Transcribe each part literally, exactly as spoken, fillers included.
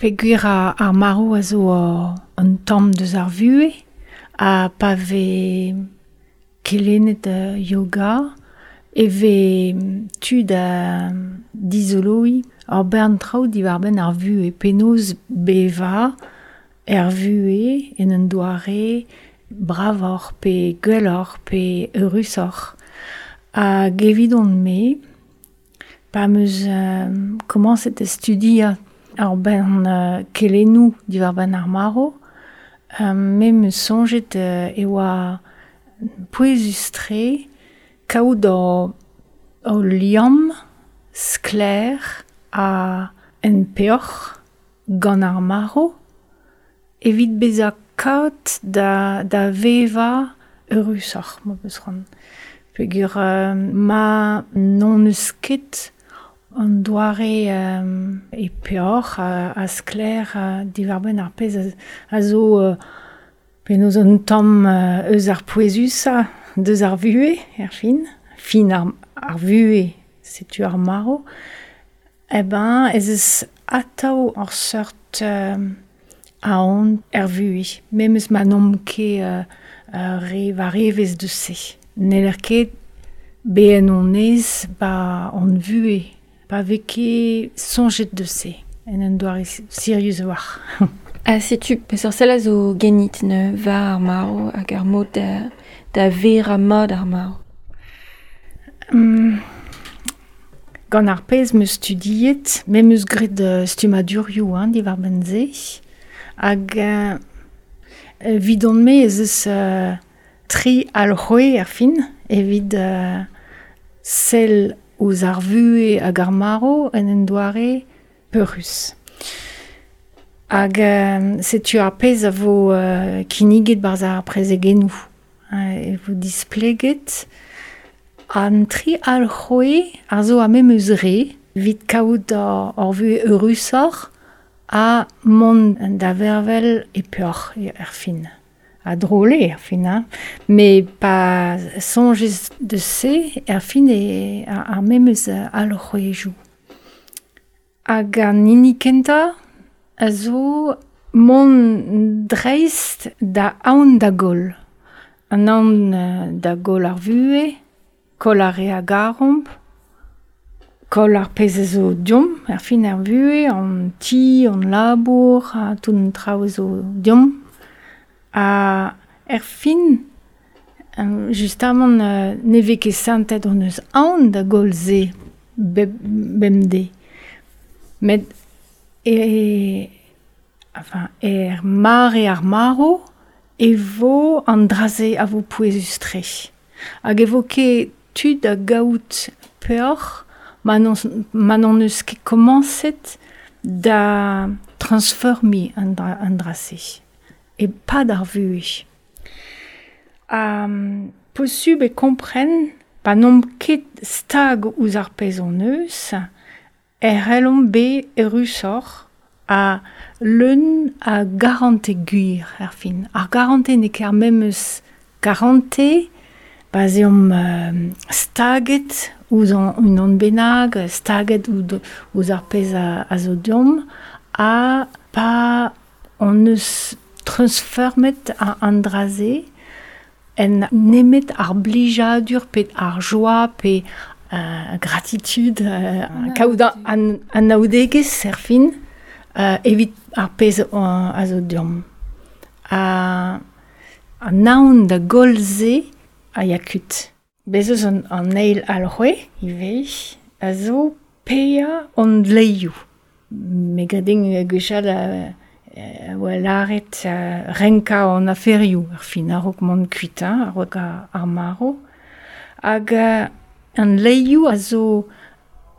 Peogwir ar marv a zo un tamm deus ar vuhez, ha pa vez kelennet yoga e vez tu da dizoloiñ ur bern traoù diwar-benn ar vuhez, penaos bevañ er vuhez en un doare bravoc'h pe gwelloc'h pe eürusoc'h. Hag evidon-me, pa 'm eus euh, komañset da studiañ ar bern euh, kelennoù diwar-benn ar marv, euh, me 'm eus soñjet euh, e oa pouezus-tre kaout ur, ur liamm sklaer ha en peoc'h gant ar marv evit bezañ kaout da, da vevañ eürusoc'h, ma peus c'hoant. Peogwir euh, ma n'hon eus ket an doare euh, e peoc'h ha, ha sklaer euh, diwar-benn ar pezh a, a zo euh, penaos un tamm euh, eus ar pouezusañ deus ar vuhez, er fin, fin ar, ar vuhez, setu ar marv, eh ben ez eus atav ur seurt euh, aon er vuhez, memes ma n'omp ket euh, euh, re war evezh deus se. N'heller ket bezañ en hon aez ba hon vuhez, pa vez ket soñjet deus se, en un doare sirius a-walc'h. Ha setu peseurt sell a zo ganit neuze war ar marv hag ar mod da, da verañ mat ar marv. Mm. Gant ar pezh 'm eus studiet, me 'm eus graet uh, stummadurioù hein, diwar-benn se, hag euh, evidon-me ez eus euh, tri alc'hwez er fin evit euh, sell ouzh ar vuhez hag ar marv en un doare peurus. Hag euh, setu ar pezh a vo euh, kinniget barzh ar prezegennoù. E vo displeget an tri alc'hwez a zo ar memes re evit kaout ur, ur vuhez eürusoc'h ha mont da vervel e peoc'h er fin. Ha drol eo er fin, hein. Met pa soñjez deus se, er fin eo ar, ar memes alc'hwezioù. Hag an hini kentañ a zo mont dreist da aon da goll. An aon da goll ar vuhez, koll ar re a garomp, koll ar pezh a zo deomp, er fin ar vuhez, an ti, an labour, ha tout an traoù a zo deomp. Ha er fin, justamant ne vez ket santet hon eus aon da goll se bep, bemdez. Met e, enfin, er mare ar marv e vo an dra-se a vo pouezus-tre. Hag e vo ket tu da gaout peoc'h ma n'on, ma n'hon eus ket komañset da transformiñ an dra, an dra-se. E-pad ar vuhez. Ha posubl eo kompren pa n'omp ket stag ouzh ar pezh hon eus, e c'hellomp bezañ eürusoc'h ha leun a garantez gwir er fin. Ar garantez n'eo ket ar memes karantez pa 'z eomp euh, staget ouzh an unan bennak, staget ouzh ar pezh a, a zo deomp, ha pa hon eus transformet an dra-se en nemet ar blijadur pe ar joa pe euh, gratitude, euh, kaout an, anaoudegezh er fin, euh, evit ar pezh a zo deomp. Ha an aon da goll se a ya kuit. Bez eus an, an eil alc'hwez ivez a zo paeañ hon dleioù. Me 'gav din gwechall a oa lâret uh, renkañ an aferioù er fin a-raok mont kuit, hein, a-raok ar marv. Hag uh, an dleioù a zo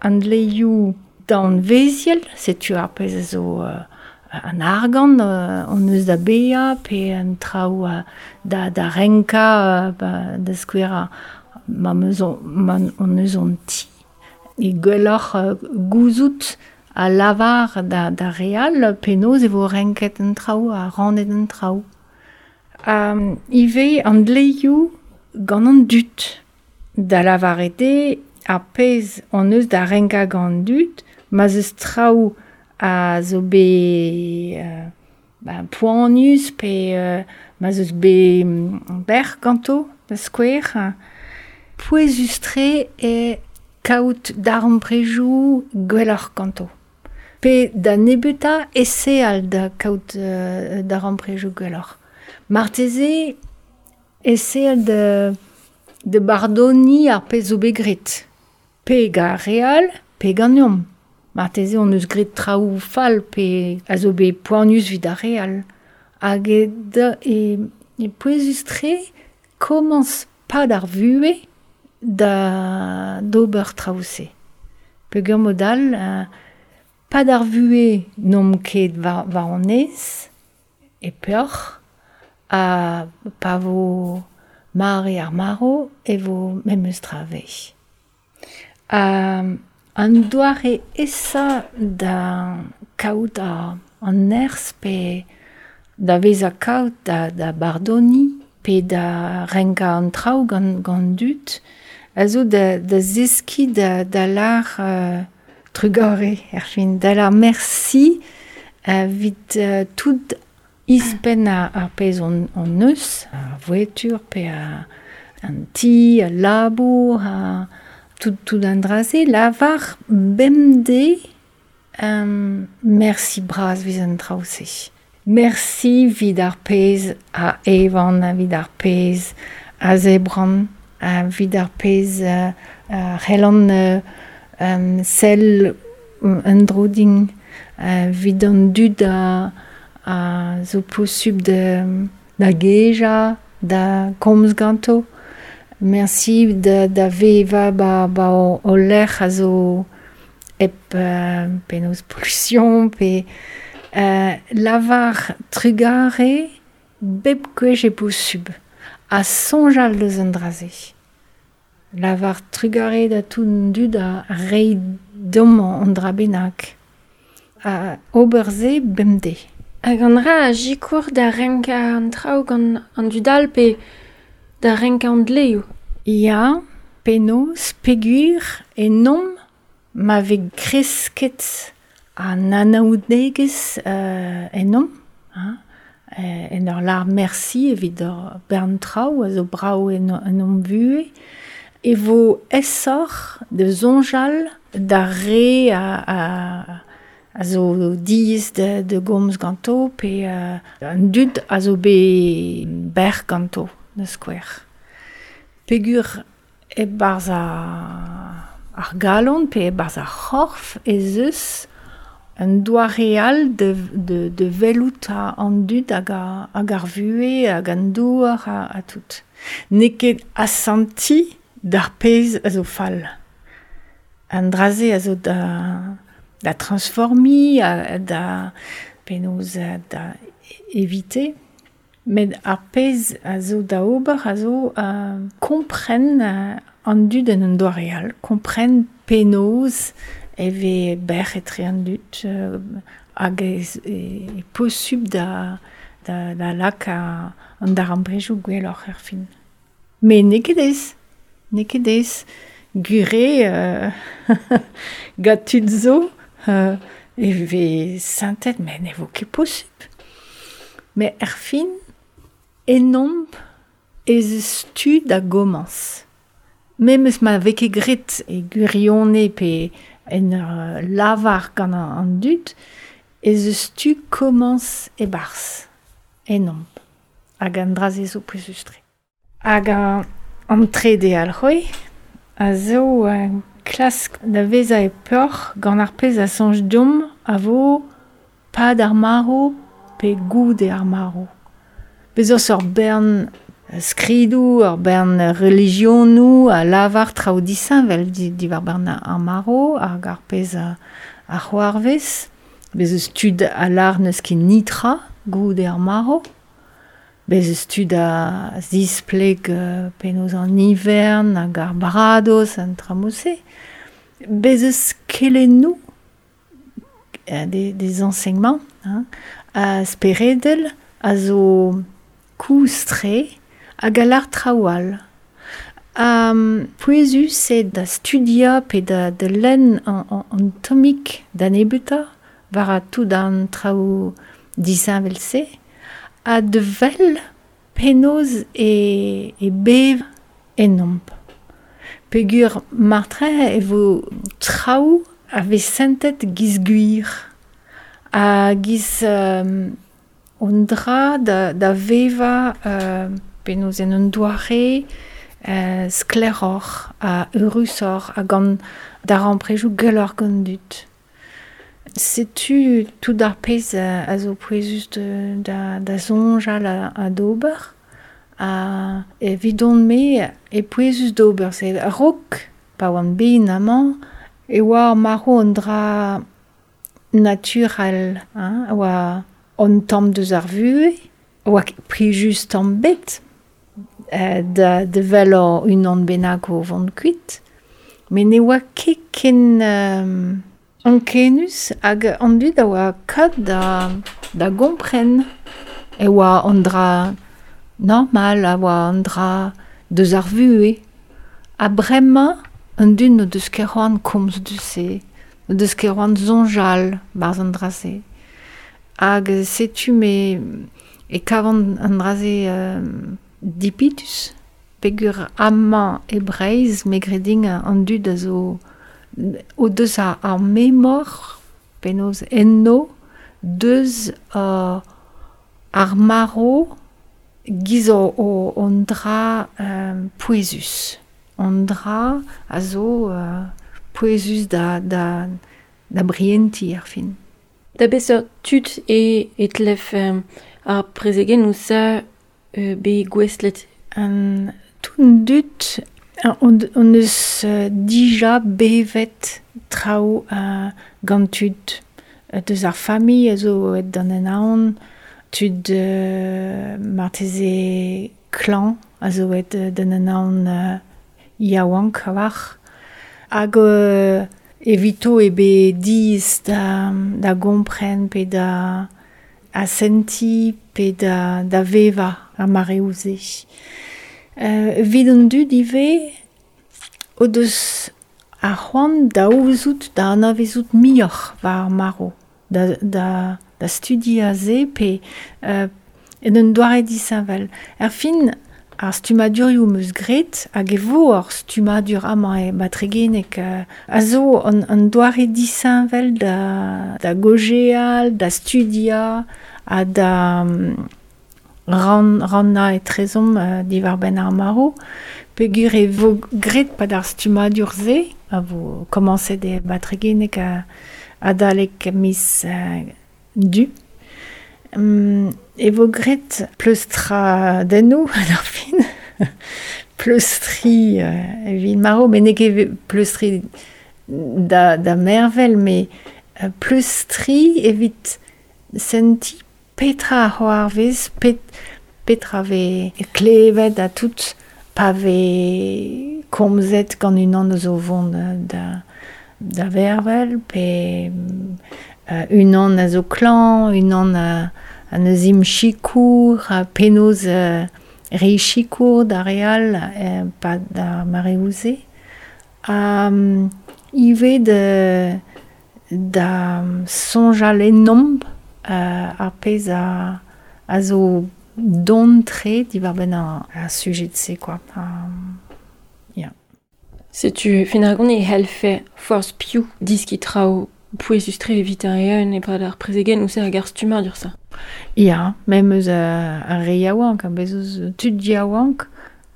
an dleioù danveziel, setu ar pezh a zo uh, an argant uh, hon eus da baeañ pe an traoù uh, da, da renkañ uh, ba, da skouer ma 'm eus ma hon eus hon ti. E gwelloc'h uh, gouzout a lavar da, da re all penaos e vo renket an traoù ha rannet an traoù. Um, ivez an dleioù gant an dud. Da lavaret eo ar pezh hon eus da renkañ gant an dud, ma 'z eus traoù a zo bet euh, ba, poanius pe euh, ma zeus bet bec'h ganto da skouer. Pouezus-tre e kaout daremprejoù gwelloc'h ganto. Pe da nebeutañ eseal da kaout euh, daremprejoù gwelloc'h. Marteze eseal de, de bardoni ar pezh zo bet graet. Pe gant ar re all, pe ganeomp. Marteze hon eus graet traoù fall pe a zo bet poanius evit ar re all. Hag e, da, e, e pouezus-tre komañs pad ar vuhez da d'ober traoù-se. Peogwir mod all, euh, pad ar vuhez n'omp ket war, war hon aez, e peoc'h, ha pa vo mare ar marv e vo memes tra ivez. Ha an doare aesañ da kaout a, an nerzh pe da vezañ kaout da, da bardoniñ pe da renkañ an traoù gant, gant dud, a zo da, da zeskiñ da, da lar euh, trugare, erfin, da lar merci evit euh, tout ouzhpenn ar, ar pezh hon, hon eus, ar voetur pe a, an ti, al labour, a, tout, tout an dra-se, lavar bemdez euh, merci bras evit an traoù-se. Merci evit ar pezh a evan, evit ar pezh a zebran, evit ar pezh euh, a c'hellan euh, euh, sell un dro din, evit an dud a, a zo posubl da, da gejañ, da komz ganto. Merci da, da vevañ ba, ba o, o lec'h a zo hep euh, penaos pollution pe euh, lavar trugare bep gwech e posubl ha soñjal deus an dra-se. Lavar trugare da tout an dud a reiñ deomp an dra bennak. Ha ober se bemdez. Hag an dra a sikour da renkañ an traoù gant an dud all pe da renkañ an dleoù. Ya, penaos, peogwir ennomp ma vez kresket an anaoudegezh euh, ennomp, hein, en ur lar merci evit ur bern traoù a zo brav en, en hon vuhez, e vo aesoc'h da soñjal d'ar re a, a, a zo diaes da, da gomz ganto pe euh, an dud a zo bet bec'h ganto, da skouer. Peogwir e-barzh ar galon pe e-barzh ar c'horf ez eus un doare all de, de, de welout an dud hag, a, hag ar vuhez hag an douar ha, ha tout. N'eo ket asantiñ d'ar pezh a zo fall. An dra-se a zo da, da transformiñ, a, da penaos da eviter. Met ar pezh a zo da ober a zo uh, kompren uh, an dud en un doare all, kompren penaos e vez bec'h etre an dud euh, hag e, e posubl da, da, da lak a, an daremprejoù gwelloc'h er fin. Met n'eo ket aes, n'eo ket aes. Gwir eo euh, gant tud zo euh, e vez santet, met ne vo ket posubl. Met er fin, ennomp ez eus tu da gomañs. Memes ma vez ket graet e gwirionez pe en ur lavar gant an dud, ez eus tu komañs e-barzh, ennomp. Hag an dra-se zo pouezus-tre. Hag an, an trede alc'hwez a zo euh, klask da vezañ e peoc'h gant ar pezh a soñj deomp a vo pad ar marv pe goude ar marv. Bez eus ur bern skridoù, ur bern relijionoù a lavar traoù disheñvel diwar bern ar marv hag ar pezh a, a c'hoarvez. Bez eus tud a lar n'eus ket nitra goude ar marv. Bez eus tud a zispleg euh, penaos an ivern hag ar baradoz an traoù-se. Bez eus kelennoù, euh, des, des enseignements, hein, a speredel a zo koulz-tre hag a lar traoù all. Um, pouezus eo da studiañ pe da, da lenn an, an, an tammig da nebeutañ war a tout an traoù disheñvel-se, ha de vel penaos e, e bev ennomp. Peogwir marteze e vo traoù a vez sentet giz gwir, ha giz euh, un dra da, da vevañ euh, penaos en un doare euh, sklaeroc'h ha eürusoc'h ha gant darempredoù gwelloc'h gant dud. Setu tout ar pezh a zo pouezus da, da soñjal ha d'ober. Ha evidon-me e pouezus d'ober. Se a-raok, pa oan bihan amañ, e oa ar marv un dra naturel, hein, a oa un tamm deus ar vuhez, oa plijus tamm bet da, da wel unan bennak o vont kuit. Met ne oa ket ken euh, ankenius hag an dud a oa kat da, da gompren e oa an dra normal, a oa an dra deus ar vuhez. Ha bremañ, an dud n'o deus ket c'hoant komz deus se, n'o deus ket c'hoant soñjal barzh an dra-se. Hag setu me e kavan an dra-se euh, dipitus. Peogwir amañ e Breizh, me gred din an dud a zo o deus ar, ar memor penaos enno deus uh, ar marv giz o, o an dra euh, pouezus. An dra a zo euh, pouezus da, da, da brientiñ ar fin. Da beseurt tud e, e tlef euh, ar prezegennoù sa euh, be gouestlet? An tout an dud on, on eus euh, dija bevet traoù euh, gant tud deus ar familh a zo aet d'an anaon, tud euh, marteze klañv a zo aet d'an anaon euh, yaouank a-walc'h. Hag euh, evito eo bet diaes da, da gompren pe da asentiñ pe da, da vevañ ar mareoù-se. Euh, evit an dud ivez o deus ar c'hoant da ouzout, da anavezout muioc'h war ar marv, da, da, da studiañ se pe euh, en un doare disheñvel. Er fin, ar stummadurioù 'm eus graet hag e vo ar stummadur amañ e Batregeneg euh, a zo an, an doare disheñvel da, da gaozeal, da studiañ ha da um, ran, rannañ etrezomp euh, diwar-benn ar marv. Peogwir e vo graet pad ar stummadur-se, a vo komañset e Batregeneg a, adalek miz euh, du. Um, e vo graet pleustradennoù ar fin, pleustriñ euh, evit marv, met n'eo ket pleustriñ da, da mervel, met euh, pleustriñ evit sentiñ petra a c'hoarvez, pet, petra vez klevet ha tout pa vez komzet gant unan eus o vont da, da vervel, pe euh, unan a zo klañv, unan a, a neus ezhomm sikour, ha penaos euh, reiñ sikour d'ar re all euh, pa d'ar mareoù-se. Ha um, ivez de, da soñjal ennomp euh, ar pezh a, a zo don-tre diwar-benn ar, ar sujed-se, quoi. Um, ya. Setu fin ar gont e c'hellfe forzh piv deskiñ traoù pouezus-tre evit ar eeun e-pad ar prezegennoù se hag ar stummadur sa. Ya, mem eus ar re yaouank, bez eus tud yaouank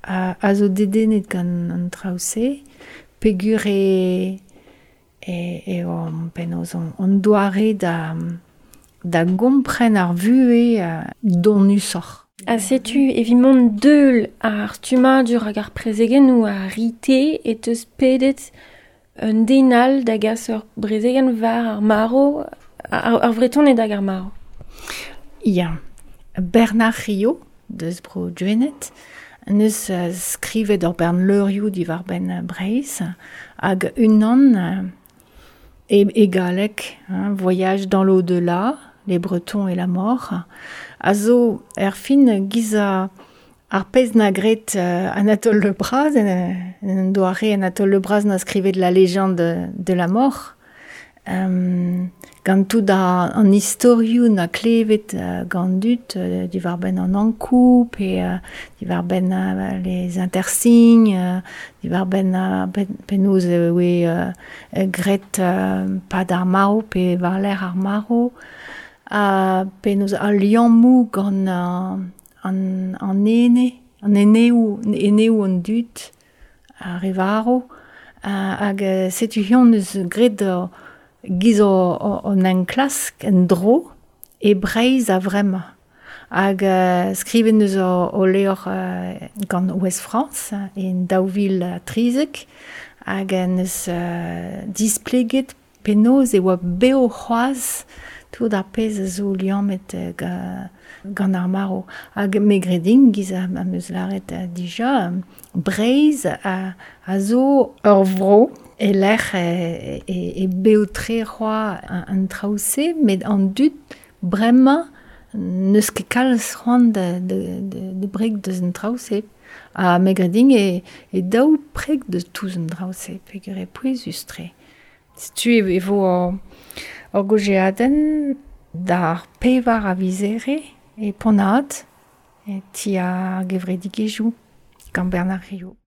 a, a zo dedennet gant an traoù-se, peogwir e, e, e on, penaos on, on doare da, da gompren ar vuhez uh, donusoc'h. Ha setu evit mont deul ar stummadur hag ar prezegennoù a ri-te e teus pedet un den all da gas ur brezegenn war ar marv, ar, ar Vretoned hag ar marv. Ya, Bernard Rio, deus bro Gwened, neus uh, skrivet ur bern levrioù diwar-benn Breizh, hag unan uh, e, e galleg, hein, Voyage dans l'au-delà, les Bretons et la mort, a zo er fin giz a ar pezh na graet euh, Anatole Le Braz, en, en doare Anatole Le Braz na skrivet la légende de la mort. Um, gant tout a, an istorioù na klevet uh, gant dud uh, diwar benn an ankou, pe uh, diwar benn uh, les intersignes, uh, diwar benn uh, pen, penaos e oe uh, graet uh, pad ar maro pe war-lerc'h ar maro, uh, penaos al liammoù gant uh, an, an ene, an eneoù, eneoù an dud, ar re varo, uh, hag uh, setu hion eus graet uh, giz o, o, an enklask en dro e Breizh a vremañ. Hag uh, skrivet eus o, o levr uh, gant Ouest France en daou vil trizek hag en eus uh, displeget penaos e oa bev c'hoazh tout ar pezh a zo liammet uh, ga, gant ar maro. Hag me gredin, giz a, am eus lâret uh, dija, um, Breizh a, a zo ur vro e lec'h e, e, e bev-tre c'hoazh an, an traoù-se, met an dud bremañ n'eus ket kalz c'hoant da, da, da, da breg deus an traoù-se. Ha me gredin e, e daou preg deus touz an traoù-se, peogwir eo pouezus-tre. Setu e, e vo ur, ur gaozeadenn d'ar pevar a viz Here e Pont-'n-Abad e ti ar gevredigezhioù gant Bernard Rio.